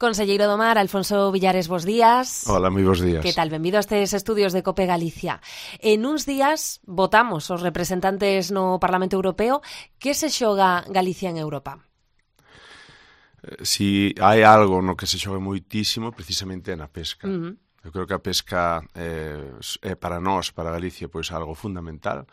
Conselleiro do Mar, Alfonso Villares, bos días. Hola, moi bos días. Que tal? Benvido a estes estudios de COPE Galicia. En uns días votamos os representantes no Parlamento Europeo. Que se xoga Galicia en Europa? Si hai algo no que se xoga moitísimo, precisamente é na pesca. Eu creo que a pesca é para nós, para Galicia, pois algo fundamental.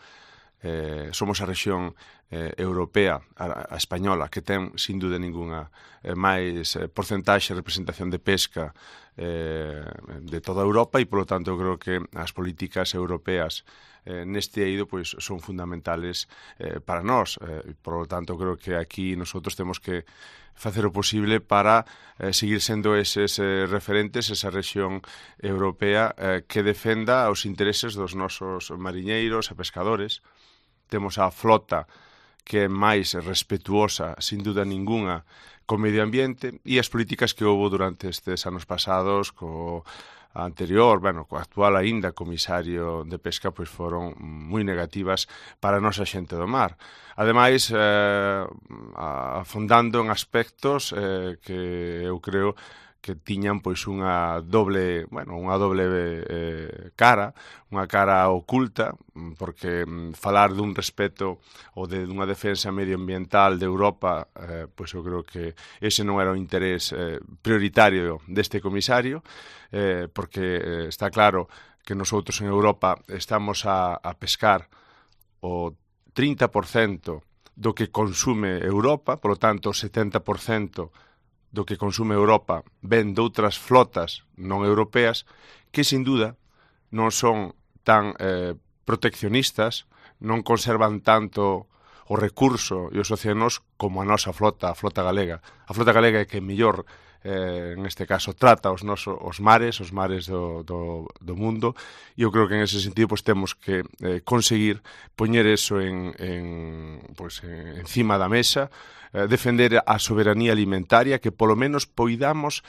Somos a rexión europea, a española, que ten, sin dúda ninguna, máis porcentaxe de representación de pesca de toda Europa e, polo tanto, eu creo que as políticas europeas neste eido pois son fundamentales para nós. Por lo tanto, creo que aquí nosotros temos que facer o posible para seguir sendo eses referentes, esa rexión europea que defenda os intereses dos nosos mariñeiros e pescadores. Temos a flota que é máis respetuosa, sin duda ninguna, co medio ambiente, e as políticas que houve durante estes anos pasados co anterior, co actual aínda comisario de pesca, pois foron moi negativas para a nosa xente do mar. Ademais, afondando en aspectos que eu creo que tiñan pois unha doble cara, unha cara oculta, porque falar dun respeto ou dunha defensa medioambiental de Europa, pois eu creo que ese non era o interés prioritario deste comisario, porque está claro que nosotros en Europa estamos a pescar o 30% do que consume Europa, polo tanto o 70% do que consume Europa ven de outras flotas non europeas que, sin duda, non son tan proteccionistas, non conservan tanto o recurso e os océanos como a nosa flota, a flota galega. A flota galega é que mellor, neste caso, trata os mares do mundo, e eu creo que en ese sentido pues, temos que conseguir poñer eso encima da mesa, defender a soberanía alimentaria, que polo menos poidamos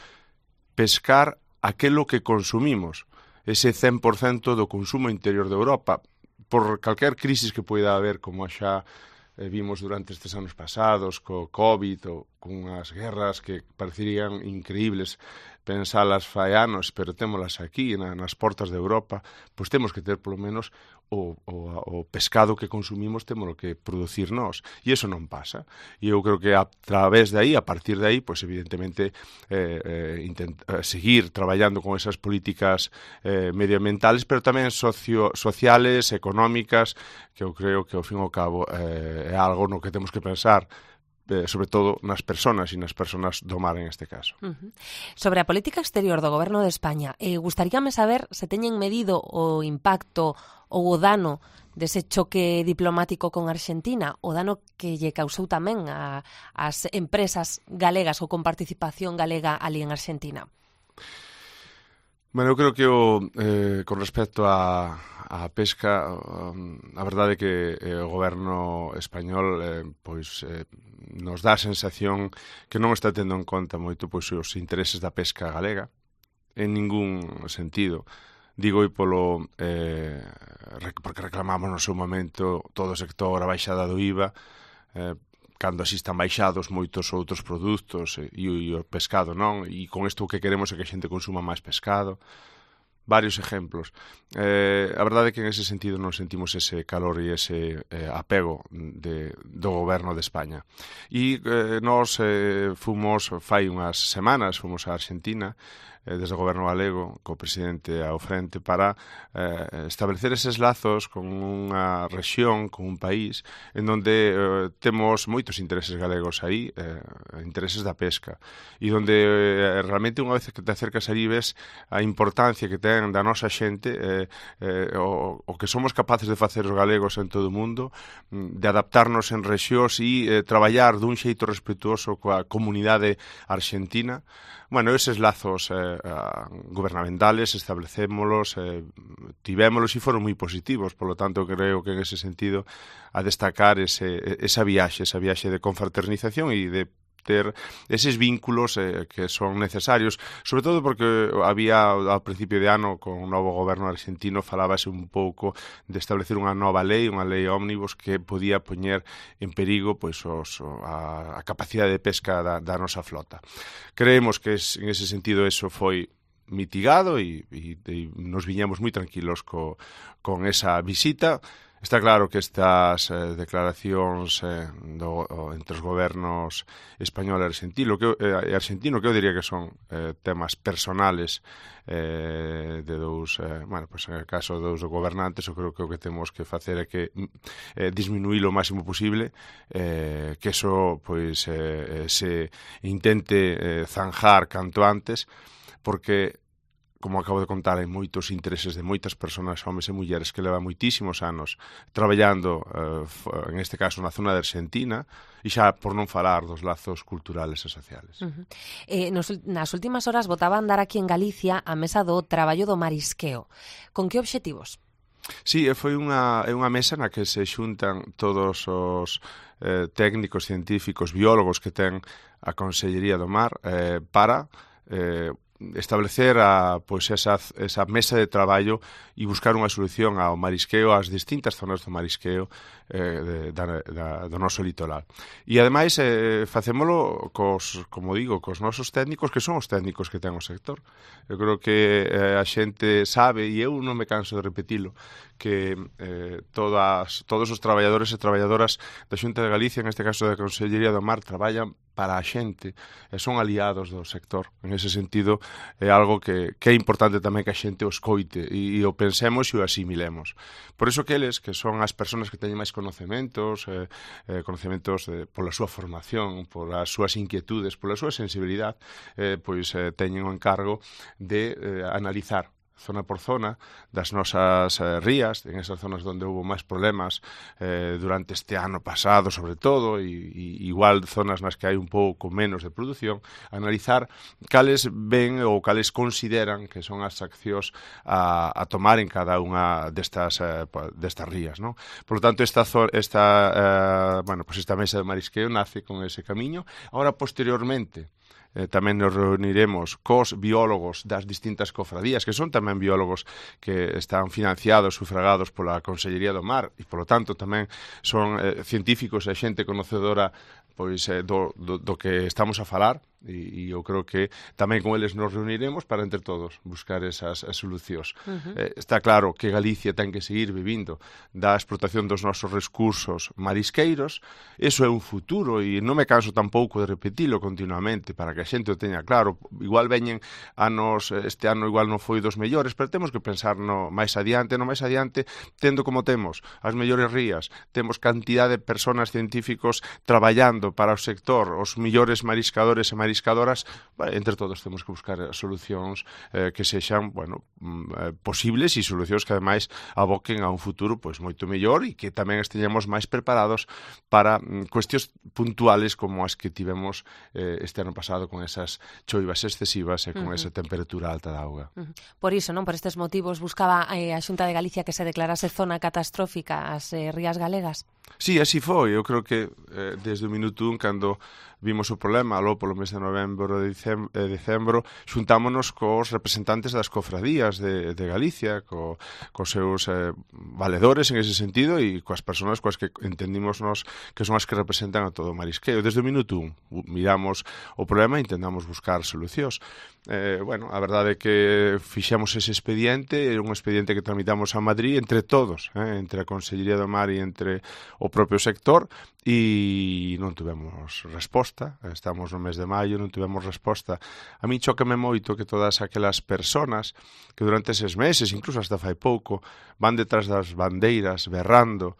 pescar aquelo que consumimos, ese 100% do consumo interior de Europa, por calquer crisis que poida haber, como xa vimos durante estes anos pasados, co COVID ou con as guerras que parecerían increíbles pensalas fai anos, pero témolas aquí nas portas de Europa, pois temos que ter polo menos o pescado que consumimos, témolo que producir nós, e iso non pasa. E eu creo que a través de aí, a partir de aí, pois evidentemente seguir traballando con esas políticas medioambientales, pero tamén sociales, económicas, que eu creo que ao fin e ao cabo é algo no que temos que pensar, sobre todo nas persoas e nas persoas do mar en este caso. Sobre a política exterior do Goberno de España, gustaríame saber se teñen medido o impacto ou o dano dese choque diplomático con Arxentina, o dano que lle causou tamén ás empresas galegas ou con participación galega ali en Arxentina. Eu creo que con respecto a pesca, a verdade é que o goberno español nos dá a sensación que non está tendo en conta moito os intereses da pesca galega, en ningún sentido. Digo porque reclamamos no seu momento todo o sector a baixada do IVA, cando así están baixados moitos outros produtos e o pescado non, e con isto o que queremos é que a xente consuma máis pescado. Varios exemplos. A verdade é que en ese sentido non sentimos ese calor e ese apego do goberno de España. E nós fai unhas semanas, fomos a Argentina, desde o goberno galego, co presidente ao frente, para establecer eses lazos con unha rexión, con un país, en donde temos moitos intereses galegos aí, intereses da pesca, e donde realmente unha vez que te acercas aí ves a importancia que ten da nosa xente, o que somos capaces de facer os galegos en todo o mundo, de adaptarnos en rexións e traballar dun xeito respetuoso coa comunidade arxentina. Eses lazos gubernamentales establecémolos, tivémolos e foron moi positivos, polo tanto creo que en ese sentido a destacar esa viaxe de confraternización e de ter eses vínculos que son necesarios, sobre todo porque había ao principio de ano con o novo goberno argentino falábase un pouco de establecer unha nova lei, unha lei ómnibus que podía poñer en perigo pois a capacidade de pesca da nosa flota. Creemos que en ese sentido eso foi mitigado e nos viñamos moi tranquilos con esa visita. Está claro que estas declaracións entre os gobernos español e argentino, que eu diría que son temas personales de dous, pues en el caso dos gobernantes, eu creo que o que temos que facer é que disminuir o máximo posible, que eso pois se intente zanjar canto antes, porque como acabo de contar, hai moitos intereses de moitas persoas, homes e mulleres, que levan moitísimos anos traballando, en este caso, na zona de Argentina, e xa por non falar dos lazos culturales e sociales. Nas últimas horas botaba a andar aquí en Galicia a mesa do traballo do marisqueo. Con que obxectivos? Sí, foi unha mesa na que se xuntan todos os técnicos, científicos, biólogos que ten a Consellería do Mar para establecer esa mesa de traballo e buscar unha solución ao marisqueo, ás distintas zonas do marisqueo do noso litoral. E ademais facémolo cos nosos técnicos, que son os técnicos que ten o sector. Eu creo que a xente sabe, e eu non me canso de repetilo, que todos os traballadores e traballadoras da Xunta de Galicia, en este caso da Consellería do Mar, traballan para a xente e son aliados do sector. En ese sentido, é algo que é importante tamén que a xente o escoite e o pensemos e o asimilemos. Por iso que eles, que son as persoas que teñen máis conocementos pola súa formación, polas súas inquietudes, pola súa sensibilidade, pois teñen o encargo de analizar zona por zona das nosas rías, en esas zonas onde houve máis problemas durante este ano pasado, sobre todo, e igual zonas nas que hai un pouco menos de produción, analizar cales ven ou cales consideran que son as accións a tomar en cada unha destas rías, non? Por lo tanto, esta mesa de marisqueo nace con ese camiño. Ahora, posteriormente, tamén nos reuniremos cos biólogos das distintas cofradías, que son tamén biólogos que están financiados, sufragados pola Consellería do Mar, e, polo tanto, tamén son científicos e xente conocedora pois do que estamos a falar, e eu creo que tamén con eles nos reuniremos para entre todos buscar esas solucións. Está claro que Galicia ten que seguir vivindo da explotación dos nosos recursos marisqueiros. Eso é un futuro e non me canso tampouco de repetilo continuamente para que a xente o teña claro. Igual veñen anos, este ano igual non foi dos mellores, pero temos que pensar no máis adiante, tendo como temos as mellores rías, temos cantidad de persoas científicos traballando para o sector, os millores mariscadores e mariscadoras, entre todos temos que buscar solucións que sexan, posibles e solucións que ademais aboquen a un futuro pois moito mellor e que tamén esteñamos máis preparados para cuestións puntuales como as que tivemos este ano pasado con esas choivas excesivas e con esa temperatura alta da auga. Por iso, non? Por estes motivos buscaba a Xunta de Galicia que se declarase zona catastrófica as rías galegas? Sí, así foi. Eu creo que desde o minuto 1, cando vimos o problema, aló polo mes de novembro e decembro, xuntámonos cos representantes das cofradías de Galicia, cos seus valedores en ese sentido e coas persoas coas que entendimos nos que son as que representan a todo o marisqueo. Desde o minuto 1 miramos o problema e intentamos buscar solucións. A verdade é que fixemos ese expediente, era un expediente que tramitamos a Madrid entre todos, entre a Consellería do Mar e entre o propio sector, e non tivemos resposta. Estamos no mes de maio, non tivemos resposta. A mí chócame moito que todas aquelas persoas que durante eses meses, incluso hasta fai pouco, van detrás das bandeiras berrando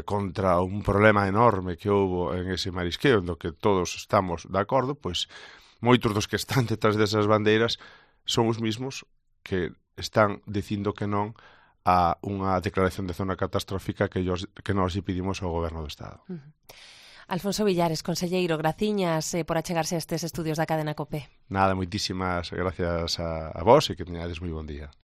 contra un problema enorme que houbo en ese marisqueo, no que todos estamos de acordo, pois moitos dos que están detrás desas bandeiras son os mismos que están dicindo que non a unha declaración de zona catastrófica que nós lle pedimos ao Goberno do Estado. Alfonso Villares, conselleiro, graciñas por achegarse a estes estudios da cadena COPE. Nada, moitísimas gracias a vos e que teñades moi bon día.